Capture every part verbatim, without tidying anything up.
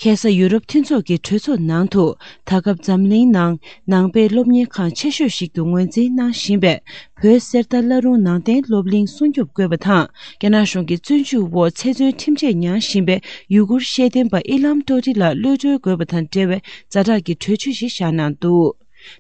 ཁ་སང་ཡུ་རོབ་མཐུན་ཚོགས་ཀྱི་གྲོས་ཚོགས་ནང་དུ། ད་སྐབས་འཛམ་གླིང་ནང་ནང་པའི་སློབ་གཉེར་ཁང་ཆེ་ཤོས་ཤིག་ཏུ་ངོས་འཛིན་གནང་བཞིན་པའི་བོད་གསེར་རྟ་བླ་རུང་ནང་བསྟན་སློབ་གླིང་སྲུང་སྐྱོབ་དགོས་པ་དང་། རྒྱ་ནག་གཞུང་གི་བཙོན་འཇུག་འོག་ཚེ་བཙོན་ཁྲིམས་ཆད་མྱངས་བཞིན་པའི་ཡུ་གུར་ཤེས་ལྡན་པ་ཨི་ལམ་ཏོ་ཏི་ལགས་གློད་གྲོལ་དགོས་པ་དང་འབྲེལ་བའི་ཛ་དྲག་གི་གྲོས་ཆོད་ཞིག་བཞག་གནང་འདུག་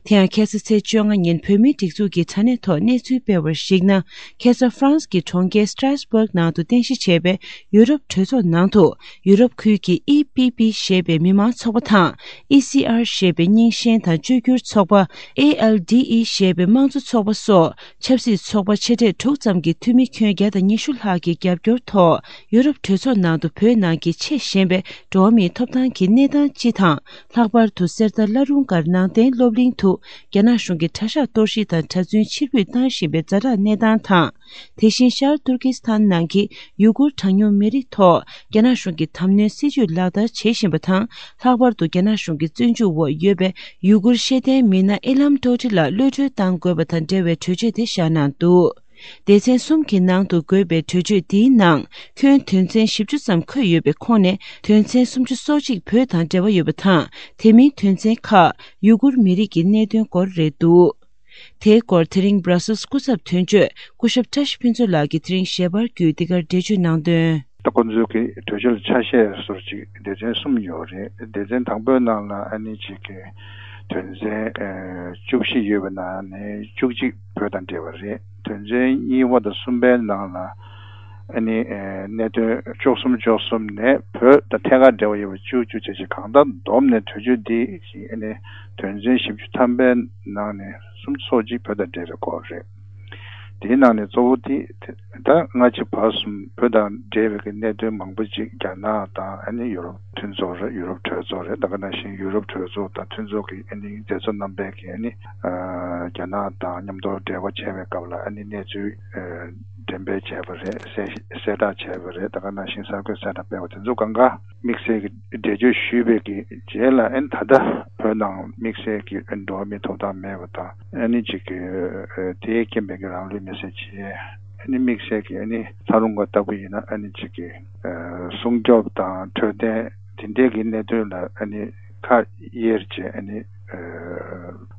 དེ་ཡང་ཁ་སང་ཚེས་བཅོ་ལྔ་ཉིན་བོད་མིའི་སྒྲིག་འཛུགས་ཀྱི་དྲ་གནས་ཐོག་གནས་ཚུལ་སྤེལ་བར་གཞིགས་ན། ཁ་སང་ཧྥ་རན་སི་གི་གྲོང་ཁྱེར་སི་ཏྲཱས་སྦུག་ནང་དུ་རྟེན་གཞི་བྱས་པའི་ཡུ་རོབ་གྲོས་ཚོགས་ནང་དུ། ཡུ་རོབ་ཁུལ་གྱི་ཨི་པི་པི་ཞེས་པའི་མི་མང་ཚོགས་པ་དང་། ཨི་སི་ཨར་ཞེས་པའི་རྙིང་ཞེན་དང་བཅོས་བསྒྱུར་ཚོགས་པ། ཨེ་ཨལ་ཌི་ཨི་ཞེས་པའི་དམངས་གཙོ་ཚོགས་པ་སོགས་ཆབ་སྲིད་ཚོགས་པ་ཆེ་གྲས་དྲུག་ཙམ་གྱི་འཐུས་མི་ཁྱོན་བརྒྱ་དང་ཉི་ཤུ་ལྷག་གི་རྒྱབ་སྐྱོར་ཐོག་ཡུ་རོབ་གྲོས་ཚོགས་ནང་དུ་བོད་ནང་གི་ཆེས་ཞན་པའི་འགྲོ་བ་མིའི་ཐོབ་ཐང་གི་གནས་སྟངས་སྤྱི་དང་། ལྷག་པར་དུ་གསེར་རྟ་བླ་རུང་སྒར་ནང་བསྟན་སློབ་གླིང་དུ་རྒྱ་ནག་གཞུང་གིས་གྲྭ་ཤག་གཏོར་བཤིག་དང་གྲྭ་བཙུན་ཕྱིར་འབུད་བཏང་བཞིན་པའི་ཛ་དྲག་གནས་སྟངས་དང་། དེ་བཞིན་ཤར་ཏུར་ཀི་སི་ཐན་ནང་གི་ཡུ་གུར་གྲངས་ཉུང་མི་རིགས་ཐོག་རྒྱ་ནག་གཞུང་གིས་དམ་གནོན་སྲིད་ཇུས་ལག་བསྟར་བྱེད་བཞིན་པ་དང་། ལྷག་པར་དུ་རྒྱ་ནག་གཞུང་གི་བཙོན་འཇུག་འོག་ཡོད་པའི་ཡུ་གུར་ཤེས་ལྡན་མི་སྣ་ཨི་ལམ་ཏོ་ཏི་ལགས་གློད་གྲོལ་གཏང་དགོས་པ་དང་འབྲེལ་བའི་གྲོས་ཆོད་དེ་བཞག་གནང་འདུག་སྡེ་ཚན་གསུམ་གྱི་ནང་དུ་དགོས་པའི་གྲོས་ཆོད་འདིའི་ནང་ཁྱོན་དོན་ཚན་བཞི་བཅུ་ཙམ་འཁོད་ཡོད་པའི་ཁོངས་ནས་དོན་ཚན་སུམ་ཅུ་སོ་གཅིག་བོད་དང་འབྲེལ་བ་ཡོད་པ་དང་། དེ་མིན་དོན་ཚན་ཁག་ཡུ་གུར་མི་རིགས་ཀྱི་གནད་དོན་སྐོར་རེད་འདུག་དེའི་སྐོར་དེ་རིང་སྦྲ་སེལ་སི་སྐུ་ཚབ་དོན་གཅོད་སྐུ་ཞབས་བཀྲ་ཤིས་ཕུན་ཚོགས་ལགས་ཀྱིས་དེ་རིང་ཞལ་པར་བརྒྱུད་འདི་གར་འགྲེལ་བརྗོད་གནང་དོན། ད་ཁོ་ཚོའི་གི་གྲོས་ཆོད་ལ་ཆ་ཤས་སོར་ཅིག་སྡེ་ཚན་གསུམ་ཡོད་རེད། སྡེ་ཚན་དང་པོའི་ནང་ལ་ཨ་ནི་ཅིག་གི་དོན་ཚན་ཨ་བཅུ་བཞི་ཡོད་པའི་ནང་ནས་བཅུ་གཅིག་བོད་དང་འབྲེལ་བ་རེད། དོན་ཚན་གཉིས་པ་དང་གསུམ་པའི་ནང་ལ་ཨ་ནི་ཨ་གནད་དོན་བཅུ་གསུམ་བཅུ་གསུམ་ནས་བོད་དང་ཐད་ཀར་འབྲེལ་བ་ཡོད་པ་བཅུ་བཅུ་བྱས་ཅིག་གང་ལྟར་བསྡོམས་ནས་གྲོས་ཆོད་འདི་ཨ་ནི་དོན་ཚན་བཞི་བཅུ་ཐམ་པའི་ནང་ནས་སུམ་ཅུ་སོ་གཅིག་བོད་དང་འབྲེལ་བའི་སྐོར་རེད། དེའི་ནང་ནས་གཙོ་བོ་དེ་ད་སྔ་ཕྱི་བར་གསུམ་བོད་དང་འབྲེལ་བའི་གི་གནད་དོན་མང་པོ་ཅིག་རྒྱ་ནག་དང་ཨ་ནི་ཡུ་རོབ་མཐུན་ཚོགས་རེད། ཡུ་རོབ་གྲོས་ཚོགས་རེད། ད་ག་ནང་བཞིན་ཡུ་རོབ་གྲོས་ཚོགས་དང་མཐུན་ཚོགས་ཀྱི་ཨ་ནི་མཛད་གཙོ་རྣམ་པས་ཀྱི་ཨ་ནི་ཨ་རྒྱ་ནག་དང་མཉམ་དུ་འབྲེལ་བ་བྱས་པའི་སྐབས་ལ་ཨ་ནི་གནས་ཚུལ་ཨ་འགྲེམས་སྤེལ་བྱས་པ་རེད། གསལ་གསལ་བསྒྲགས་བྱས་པ་རེད། ད་ག་ནང་བཞིན་གསར་འགོད་གསལ་བསྒྲགས་སྤེལ་བ་དེ་ཚོ་གང་ག་དམིགས་བསལ་གྱི་འགྲེལ་བརྗོད་ཞུས་པའི་གི་རྗེས་ལ་ཨ་ནི་ད་ལྟ་བོད་ནང་དམིགས་བསལ་གྱི་འགྲོ་བ་མིའི་ཐོབ་ཐང་མེད་པ་དང་ཨ་ནི་ཅིག་གི་ཨ་དེའི་རྐྱེན་པས་ཀྱི་རང་ལུས་མེར་སྲེག་བྱས། ཨ་ནི་དམིགས་བསལ་གྱི་ཨ་ནི་ལྷ་རུང་སྒར་ལྟ་བུ་ཡིན་ན་ཨ་ནི་ཅིག་གི་ཨ་སྲུང་སྐྱོབ་དང་འཕྲོད་བསྟེན་དེ་འདྲའི་གི་གནད་དོན་ལ་ཨ་ནི་ཁ་གཡེར་བྱས་ཨ་ནི་ཨ་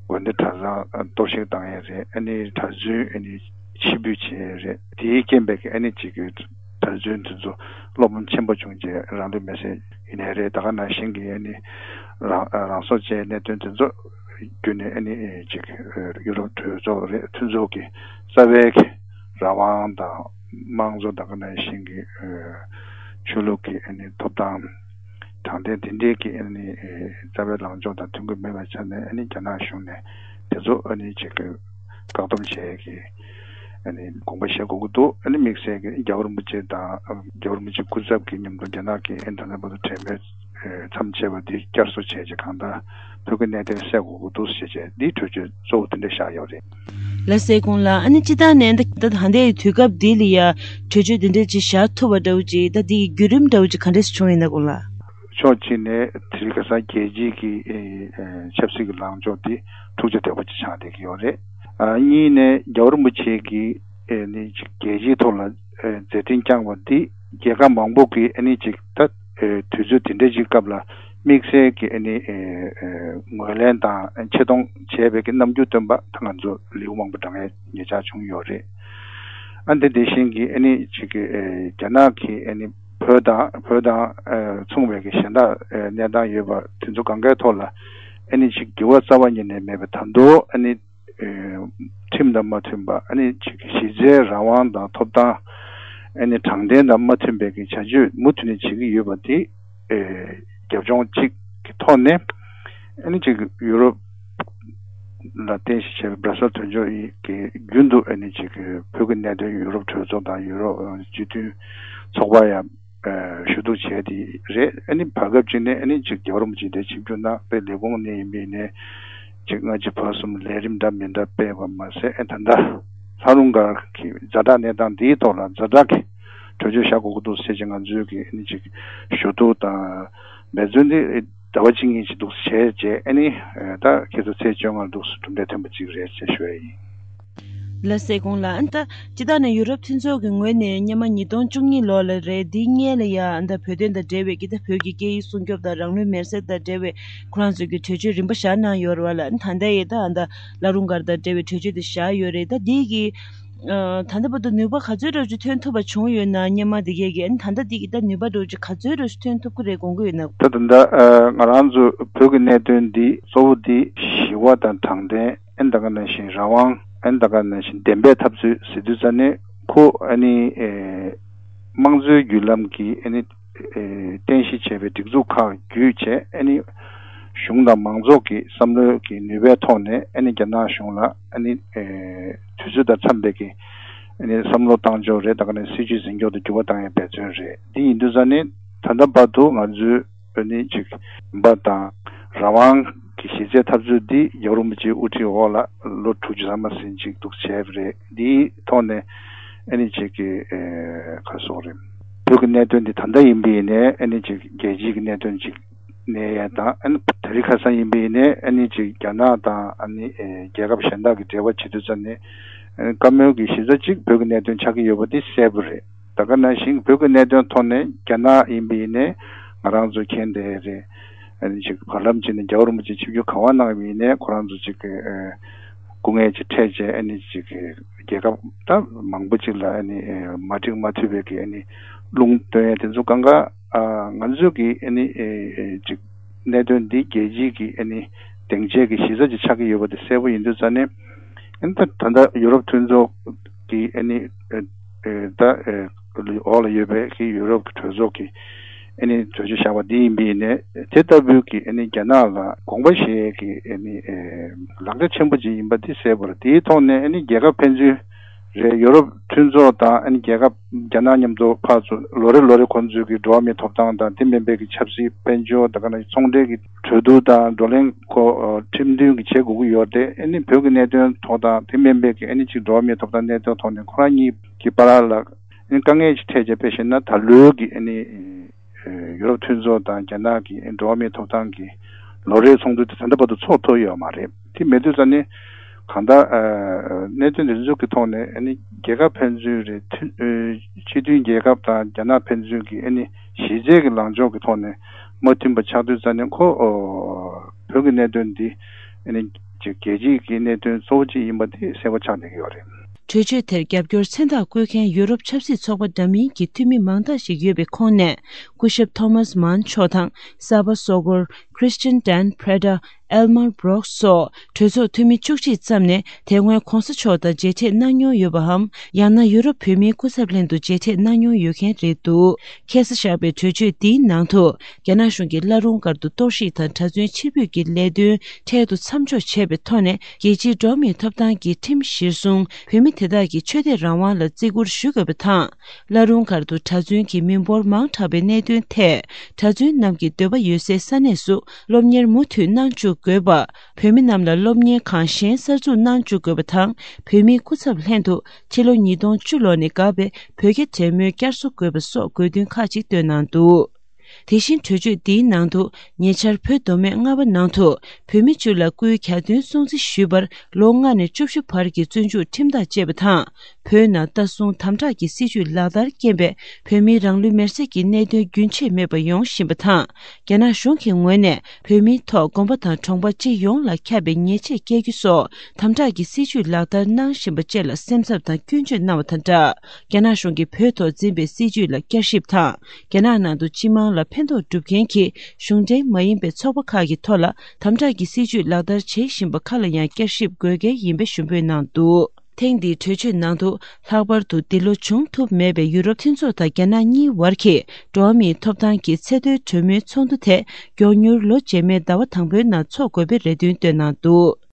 དགོན་སྡེ་གྲྭ་ཚང་གཏོར་བཤིག་བཏང་ཡས་རེད། ཨ་ནི་གྲྭ་བཙུན་ཨ་ནི་ཕྱིར་འབུད་བྱས་ཡས་རེད། དེའི་རྐྱེན་པས་ཀྱི་ཨ་ནི་ཅིག་གི་གྲྭ་བཙུན་དེ་ཚོ་བློ་ཕམ་ཆེན་པོ་བྱུང་རྗེས་རང་ལུས་མེར་སྲེག་ཡིན་ནའི་རེད། ད་ག་ནང་བཞིན་གྱི་ཨ་ནི་རང་རང་སྲོག་བཅད་གནད་དོན་དེ་ཚོ་བརྒྱུད་ནས་ཨ་ནི་ཅིག་ཡུ་རོབ་གྲོས་ཚོགས་རེད། མཐུན་ཚོགས་ཀྱི་རྩ་བའི་གི་རང་དབང་དང་དམངས་གཙོ་ད་ག་ནང་བཞིན་གྱི་ཆོས་ལུགས་ཀྱི་ཨ་ནི་ཐོབ་ཐང་དྲང་བདེན་དེ་འདྲའི་གི་ཨ་ནི་རྩ་བའི་ལངས་ཕྱོགས་དང་མཐུན་གྱི་མེད་པའི་ཆ་ནས་ཨ་ནི་རྒྱ་ནག་གཞུང་ནས་དེ་ཚོ་ཨ་ནི་ཅིག་གི་བཀག་སྡོམ་བྱས་ཀྱི་ཨ་ནི་དགོངས་པ་བཞེས་དགོས་ཀྱི་འདུག་ཨ་ནི་དམིགས་བསལ་གྱི་རྒྱལ་བ་རིན་པོ་ཆེ་དང་རྒྱལ་བ་རིན་པོ་ཆེ་སྐུ་ཚབ་ཀྱི་མཉམ་དུ་རྒྱ་ནག་གི་ཨ་ནི་ད་ལྟ་བར་དུ་གྲོས་མོལ་མཚམས་ཆད་པ་འདི་བསྐྱར་གསོ་བྱས་རྗེས་གང་ལྟར་བོད་ཀྱི་གནད་དོན་སེལ་དགོས་ཀྱི་འདུག་ཞེས་བྱས་འདིའི་གྲོས་ཆོད་གཙོ་བོ་དེ་འདྲ་བཞག་ཡོད་རེད། ལགས་སེ་སྐུ་ངོ་ལགས། ཨ་ནི་སྤྱིར་བཏང་ནས་ད་ད་ལྟའི་དུས་སྐབས་འདི་ལ་ཡ་གྲོས་ཆོད་འདི་འདྲ་ཅིག་བཞག་ཐུབ་པ་འདྲ་བོ་ཅིག་ད་འདི་གི་བརྒྱུད་རིམ་འདྲ་བོ་ཅིག་ག་འདྲས་བྱུང་ཡིན་ན་སྐུ་ངོ་ལགས། ཕྱོགས་གཅིག་ནས་དེ་རིང་ཁ་སང་རྒྱལ་སྤྱིའི་གི་ཨེ་ཨེ་ཆབ་སྲིད་ཀྱི་ལངས་ཕྱོགས་འདི་འཁྲུག་ཆ་དོད་པོ་ཅིག་ཆགས་བསྡད་ཀྱི་ཡོད་རེད། ཨ་གཉིས་ནས་རྒྱལ་བ་རིན་པོ་ཆེ་གིས་ཨེ་ནི་ཅིག་རྒྱལ་སྤྱིའི་ཐོག་ལ་ཨེ་མཛད་འཕྲིན་བསྐྱངས་པ་འདི་རྒྱལ་ཁབ་མང་པོ་གིས་ཨེ་ནི་ཅིག་ད་ཨེ་དུས་ཚོད་དེ་འདྲ་ཅིག་སྐབས་ལ་དམིགས་བསལ་གྱི་ཨེ་ནི་ཨེ་ཨེ་ངོས་ལེན་དང་ཆེ་མཐོང་བྱས་པའི་གི་རྣམ་འགྱུར་སྟོན་པ་ད་ང་ཚོ་ལེའུ་མང་པོ་འདྲ་བའི་ཉེ་ཆར་བྱུང་ཡོད་རེད། ཨ་འདི་དེ་བཞིན་གྱི་ཨེ་ནི་ཅིག་གི་ཨེ་རྒྱ་ནག་གིས་ཨེ་ནི་བོད་དང་བོད་དང་ཨེ་མཚུངས་པའི་གི་གཞན་དག་ཨེ་གནས་སྟངས་ཡོད་པ་དེ་ཚོ་གང་གའི་ཐོག་ལ་ཨེ་ནི་ཅིག་འགྱུར་བ་རྩ་བ་ཉིད་ནས་མེད་པའི་ད་དུང་ཨེ་ནི་ཨེ་ཁྲིམས་དང་མ་མཐུན་པ་ཨ་ནི་ཅིག་གི་གཞི་རྩའི་རང་དབང་དང་ཐོབ་ཐང་ཨ་ནི་དྲང་བདེན་དང་མ་མཐུན་པའི་གི་བྱ་སྤྱོད་མུ་མཐུད་ནས་བྱེད་ཀྱི་ཡོད་པ་དེ་ཨེ་རྒྱབ་ལྗོངས་གཅིག་གི་ཐོག་ནས་ཨ་ནི་ཅིག་ཡུ་རོབ་ལ་རྟེན་གཞི་བྱས་པའི་སྦྲ་སེལ་དོན་གཅོད་ཀྱི་རྒྱུན་དུ་ཨ་ནི་ཅིག་བོད་ཀྱི་གནད་དོན་ཡུ་རོབ་གྲོས་ཚོགས་དང་ཡུ་རོབ་སྤྱི་མཐུན་ཚོགས་པ་ཡང་ཞུ་གཏུག་བྱས་ཏེ་རེད། ཨ་ནི་བར་སྐབས་ཅིག་ནས་ཨ་ནི་ཅིག་རྒྱལ་བ་རིན་པོ་ཆེ་དེ་ཆིབས་བསྒྱུར་གནང་པའི་ལས་ཁུངས་ནས་ཡིན་པའི་ནས་ཅིག་སྔ་ཕྱི་བར་གསུམ་ལས་རིམ་འདྲ་མི་འདྲ་སྤེལ་བ་མ་ཟད་ཨ་ད་ལྟ་ལྷ་རུང་སྒར་གྱི་ཛ་དྲག་གནས་སྟངས་འདིའི་ཐོག་ལ་ཛ་དྲག་གི་གྲོས་ཆོད་བཞག་དགོས་ཀྱི་འདུག་ཟེར་ཅིག་ང་ཚོས་ཀྱི་ཨ་ནི་ཅིག་ཞུ་གཏུག་དང་འབད་བརྩོན་འདི་ཟླ་བ་གཅིག་གཉིས་ཅིག་འདུག་བྱས་རྗེས་ཨ་ནི་ད་ཁྱེད་ཚོ་ཚེས་བཅོ་ལྔ་འདུག་གྲུབ་འབྲས་ཐོན་པ་ཅིག་རེད་ཅེས་ཞུ་ཡ་ཡིན། ལ་སེ་གོང་ལ་ཨ་ནི་ད་སྤྱི་བཏང་ནས་ཡུ་རོབ་མཐུན་ཚོགས་ཀྱི་ངོས་ནས་སྔོན་མ་ཉིས་སྟོང་བཅུ་གཉིས་ལོ་ལ་རེད། འདིའི་སྔོན་ལ་ཡ་ཨ་ནི་ད་བོད་དོན་དང་འབྲེལ་བའི་གི་ད་བོད་ཀྱི་སྐད་ཡིག་སྲུང་སྐྱོབ་དང་རང་ལུས་མེར་སྲེག་དང་འབྲེལ་བའི་ཁོ་རང་ཚོའི་གི་གྲོས་ཆོད་རིམ་པ་བཞག་གནང་ཡོད་རེད་བ་ལ། ཨ་ནི་ད་ལྟ་ཡི་ད་ཨ་ནི་ད་བླ་རུང་སྒར་དང་འབྲེལ་བའི་གྲོས་ཆོད་དེ་བཞག་ཡོད་རེད། ད་འདི་གི་ཨ་ད་ལྟ་བར་དུ་ནུས་པ་ག་ཚོད་འདྲ་ཅིག་ཐོན་ཐུབ་པ་བྱུང་ཡོད་ན། སྔོན་མ་དེ་གས་ཀྱི་ཨ་ནི་ད་ལྟ་འདི་གི་ད་ནུས་པ་འདྲ་ཅིག་ག་ཚོད་འདྲ་ཅིག་ཐོན་ཐུབ་ཀྱི་རེད་དགོངས་ཀྱི་ཡོད་ན། ད་ད་ལྟ་ཨ་ང་རང་ཚོ་བོད་ཀྱི་གནད་དོན་འདི་གཙོ་བོ་འདི་ཞི་བ་དང་དྲང་བདེན། ཨ་ནི་ད་ག་ནང་བཞིན་རང་དབང་། ཨ་ནི་ད་ག་ནང་བཞིན་བདེན་པའི་འཐབ་རྩོད་ཟེར་དུས་ཙ་ནས་ཁོ་ཨ་ནི་ཨེ་དམངས་གཙོའི་བརྒྱུད་ལམ་གྱི་ཨ་ནི་ཨེ་རྟེན་གཞི་བྱས་པའི་སྒྲིག་འཛུགས་ཁག་བརྒྱུད་བྱས། ཨ་ནི་གཞུང་དང་མང་ཚོགས་ཀྱི་བསམ་བློའི་གི་ནུས་པའི་ཐོག་ནས་ཨ་ནི་རྒྱ་ནག་གཞུང་ལ་ཨ་ནི་ཨེ་དུས་ཚོད་དང་འཚམས་པའི་གི་ཨ་ནི་བསམ་བློ་བཏང་ཕྱོགས་རེད། ད་ག་ནས་སྲིད་ཇུས་འཛིན་ཕྱོགས་དེ་འགྱུར་བ་བཏང་ཡའི་འབད་བརྩོན་རེད། འདི་ཡིན་དུས་ཙ་ནས་ད་ལྟ་བར་དུ་ང་ཚོའི་ཨ་ནི་ཅིག་ཡིན་པ་དང་། རང་དབང་གི་གཞི་རྩའི་འཐབ་རྩོད་འདི་རྒྱལ་བ་རིན་པོ་ཆེའི་དབུ་ཁྲིད་འོག་ལ་ལོ་དྲུག་ཅུ་ཐམ་པ་ཟིན་ཅིག་འདུག་བྱས་པ་རེད། འདིའི་ཐོག་ནས་ཨ་ནི་ཅིག་གི་ཨེ་ག་སོགས་རེད། བོད་ཀྱི་གནད་དོན་འདི་ད་ལྟ་ཡིན་པ་ཡིན་ནའི་ཨ་ནི་ཅིག་རྒྱལ་སྤྱིའི་གི་གནད་དོན་ཅིག་གནས་ཡ་དང་། ཨ་ནི་དེ་རིང་ཁ་སང་ཡིན་པ་ཡིན་ནའི་ཨ་ནི་ཅིག་རྒྱ་ནག་དང་ཨ་ནི་ཨེ་རྒྱལ་ཁབ་གཞན་དག་གི་འབྲེལ་བ་བྱེད་དུས་ཙ་ནས་ཨ་ནི་བཀའ་མོལ་གྱི་གཞི་རྩ་ཅིག་བོད་ཀྱི་གནད་དོན་ཆགས་ཀྱི་ཡོད་པ་འདི་གསལ་པོ་རེད། ད་ག་ནང་བཞིན་བོད་ཀྱི་གནད་དོན་ཐོག་ནས་རྒྱ་ནག་ཡིན་པ་ཡིན་ནའི་ང་རང་ཚོ་མཁྱེན་བསྡད་རེད། ཨ་ནི་ཅིག་བར་ལམ་ཅིག་ནས་རྒྱལ་བ་རིན་པོ་ཆེ་ཆིབས་བསྒྱུར་ག་པར་གནང་བ་ཡིན་ནའི་ཁོ་རང་ཚོ་ཅིག་གི་ཨ་སྐུ་ངལ་ཅིག་འཕྲད་བྱས། ཨ་ནི་ཅིག་གི་རྒྱལ་ཁབ་ད་མང་པོ་ཅིག་ལ་ཨ་ནི་ཨ་མ་འགྲིག་མ་མཐུན་པའི་གི་ཨ་ནི་རླུང་བཏོན་ཡ་དེ་ཚོ་གང་ག་ཨ་ང་ཚོ་གི་ཨ་ནི་ཨ་ཅིག་གནད་དོན་འདི་རྒྱལ་སྤྱིའི་གི་ཨ་ནི་སྡིངས་ཆའི་གི་གཞི་རྩ་ཅིག་ཆགས་ཀྱི་ཡོད་པ་དེ་གསལ་པོ་ཡིན་དུས་ཙ་ནས། ཨ་ནི་ད་ད་ལྟ་ཡུ་རོབ་མཐུན་ཚོགས་ཀྱི་ཨ་ནི་ཨ་ཨ་ད་ཨ་འོག་ལ་ཡོད་པའི་གི་ཡུ་རོབ་ཀྱི་གྲོས་ཚོགས་ཀྱི་ཨ་ནི་གྲོས་ཆོད་བཞག་པ་འདི་ཡིན་པ་ཡིན་ནའི། དེ་ལྟ་བུའི་གི་ཨ་ནི་རྒྱ་ནག་ལ་དགོངས་པ་བཞེས་ཀྱི་ཨ་ནི་ཨ་ལག་ཆ་ཆེན་པོ་ཅིག་ཡིན་པ་འདི་གསལ་པོ་རེད། དེའི་ཐོག་ནས་ཨ་ནི་རྒྱལ་ཁབ་ཕན་ཚུན་རེད། ཡུ་རོབ་མཐུན་ཚོགས་དང་ཨ་ནི་རྒྱལ་ཁབ་རྒྱ་ནག་མཉམ་དུ་ཕར་ཚུར་ལོ་རེ་ལོ་རེ་ཁོང་ཚོའི་གི་འགྲོ་བ་མིའི་ཐོབ་ཐང་དང་དེ་མིན་པའི་གི་ཆབ་སྲིད་དཔལ་འབྱོར། ད་ག་ནང་ཚོང་འབྲེལ་གྱི་གྲོས་བསྡུར་དང་བགྲོ་གླེང་ཁོ་ཁྲིམས་མཐུན་གྱི་བྱེད་དགོས་ཀྱི་ཡོད་རེད། ཨ་ནི་བོད་ཀྱི་གནད་དོན་ཐོག་དང་དེ་མིན་པའི་གི་ཨ་ནི་ཅིག་འགྲོ་བ་མིའི་ཐོབ་ཐང་གནད་དོན་ཐོག་ནས་ཁོ་རང་གཉིས་ཀྱི་བར་ལ་ཨ་ནི་དཀའ་ངལ་ཅིག་འཕྲད་བྱས། དཔེ་བཞག་ན་ད་ལོའི་གི་ཨ་ནི་ཡུ་རོབ་མཐུན་ཚོགས་དང་རྒྱ་ནག་གི་འགྲོ་བ་མིའི་ཐོབ་ཐང་གི་ལོ་རེའི་ཚོགས་འདུ་དེ་ད་ལྟ་བར་དུ་ཚོགས་ཐུབ་ཡོད་མ་རེད། དེ་མེད་དུས་ཙ་ནས་གང་ལྟར་ཨ་གནད་དོན་དེ་ཚོ་གི་ཐོག་ནས་ཨ་ནི་རྒྱལ་ཁབ་ཕན་ཚུན་རེད། མཐུན་ཨ་སྤྱི་མཐུན་རྒྱལ་ཁབ་དང་རྒྱ་ནག་ཕན་ཚུན་གྱི་ཨ་ནི་གཞི་རྩའི་གི་ལངས་ཕྱོགས་ཀྱི་ཐོག་ནས་མ་མཐུན་པ་ཆགས་དུས་ཙ་ནས་ཁོ་ཨོ་བོད་ཀྱི་གནད་དོན་འདི་ཨ་ནི་ཅིག་རྒྱལ་སྤྱིའི་གི་གནད་དོན་གཙོ་བོ་གཅིག་ཡིན་པ་དེ་གསལ་པོ་ཆགས་བསྡད་ཀྱི་ཡོད་རེད། གྲོས་ཆོད་དེར་རྒྱབ་སྐྱོར་མཚན་རྟགས་བཀོད་མཁན་ཡུ་རོབ་ཆབ་སྲིད་ཚོགས་པ་འདྲ་མིན་གྱི་འཐུས་མི་མང་དག་ཞིག་ཡོད་པའི་ཁོངས་ནས། སྐུ་ཞབས་ཐོ་མཱས་མཱན་མཆོག་དང་། གསར་པ་སོ་སྐོར་ཁྲི་སྟན་ཌན་པྲེ་ཏ། ཨེལ་མར་བྷོ་རོག་སོགས་གྲོས་ཚོགས་འཐུས་མི་བཅུ་གཅིག་ཙམ་ནས་དེ་སྔོན་གོང་ས་མཆོག་དང་མཇལ་འཕྲད་གནང་མྱོང་ཡོད་པའམ། ཡང་ན་ཡུ་རོབ་བོད་མིའི་སྐུ་ཚབ་ལྷན་དུ་མཇལ་འཕྲད་གནང་མྱོང་ཡོད་མཁན་རེད་འདུག་ཁ་སང་བཞག་པའི་གྲོས་ཆོད་འདིའི་ནང་དུ། རྒྱ་ནག་གཞུང་གིས་བླ་རུང་སྒར་དུ་གཏོར་བཤིག་དང་གྲྭ་བཙུན་ཕྱིར་འབུད་ཀྱི་ལས་དོན་འཕྲལ་དུ་མཚམས་འཇོག་བྱས་པའི་ཐོག་ནས། རྒྱལ་སྤྱིའི་འགྲོ་བ་མིའི་ཐོབ་ཐང་གི་ཁྲིམས་གཞིར་བཟུང་། བོད་མི་དེ་དག་གི་ཆོས་དད་རང་དབང་ལ་བརྩི་བཀུར་ཞུ་དགོས་པ་དང་། བླ་རུང་སྒར་དུ་གྲྭ་བཙུན་གྱི་མི་འབོར་མང་དྲགས་པའི་གནད་དོན་ཐད། གྲྭ་བཙུན་རྣམས་ཀྱི་འདོད་པ་ཡོད་སའི་ས་གནས་སུ་སློབ་གཉེར་མུ་མཐུད་གནང་བཅུག་དགོས་པ། བོད་མི་རྣམས་ལ་སློབ་གཉེར་ཁང་གཞན་གསར་འཛུགས་གནང་བཅུག་དགོས་པ་དང་། བོད་མིའི་སྐུ་ཚབ་ལྷན་དུ་ཕྱི་ལོ་ཉིས་སྟོང་བཅུ་ལོ་ནས་འགག་པའི་བོད་རྒྱ་འབྲེལ་མོལ་བསྐྱར་གསོ་དགོས་པ་སོགས་དགོས་འདུན་ཁག་ཅིག་བཏོན་གནང་འདུག་དེ་བཞིན་གྲོས་ཆོད་འདིའི་ནང་དུ། ཉེ་ཆར་བོད་མདོ་སྨད་རྔ་པ་ནང་དུ་བོད་མི་བཅུ་ལ་སྐུའི་གྱ་སྟོན་སྲུང་བརྩི་ཞུས་པར་ལོ་ལྔ་ནས་བཅུ་བཞི་བར་གྱི་བཙོན་འཇུག་ཁྲིམས་ཐག་བཅད་པ་དང་། བོད་ནང་ལྟ་སྲུང་དམ་དྲག་གི་སྲིད་བྱུས་ལག་བསྟར་རྐྱེན་པས་བོད་མིའི་རང་ལུས་མེར་སྲེག་གི་གནད་དོན་རྒྱུན་ཆད་མེད་པར་ཡོང་བཞིན་པ་དང་། རྒྱ་ནག་གཞུང་གི་ངོས་ནས་བོད་མིའི་ཐོག་དགོན་པ་དང་གྲོང་པ་སྤྱི་ཡོངས་ལ་ཁྱབ་པའི་ཉེས་ཆད་བཀལ་རྒྱུ་སོགས་དམ་དྲག་གི་སྲིད་བྱུས་ལག་བསྟར་གནང་བཞིན་པ་བཅས་ལ་སེམས་འཚབ་དང་སྐྱོན་བརྗོད་གནང་བ་དང་སྦྲགས། རྒྱ་ནག་གཞུང་གིས་བོད་ཐོག་འཛིན་པའི་སྲིད་བྱུས་ལ་བསྐྱར་ཞིབ་དང་། རྒྱ་ནག་ནང་དུ་སྤྱི་དམངས་ལ་ཕན་ཐོགས་སྒྲུབ་མཁན་གྱི་གཞུང་འབྲེལ་མ་ཡིན་པའི་ཚོགས་པ་ཁག་གི་ཐོག་ལ་དམ་དྲག་གི་སྲིད་བྱུས་ལག་བསྟར་བྱེད་བཞིན་པ་ཁག་ལ་ཡང་བསྐྱར་ཞིབ་དགོས་གལ་ཡིན་པའི་ཞུ་འབོད་གནང་འདུག་ཐེངས་འདིའི་གྲོས་ཆོད་ནང་དུ་ལྷག་པར་དུ་འདི་ལོ་བྱུང་ཐུབ་མེད་པའི་ཡུ་རོབ་མཐུན་ཚོགས་དང་རྒྱ་ནག་གཉིས་བར་གྱི་འགྲོ་བ་མིའི་ཐོབ་ཐང་གི་ཚེ་མདོའི་གྲོས་མོལ་ཚོགས་འདུ་དེ་མགྱོགས་མྱུར་ལོ་རྗེས་མའི་ཟླ་བ་དང་པོའི་ནང་འཚོགས་དགོས་པའི་རེ་འདུན་བཏོན་གནང་འདུག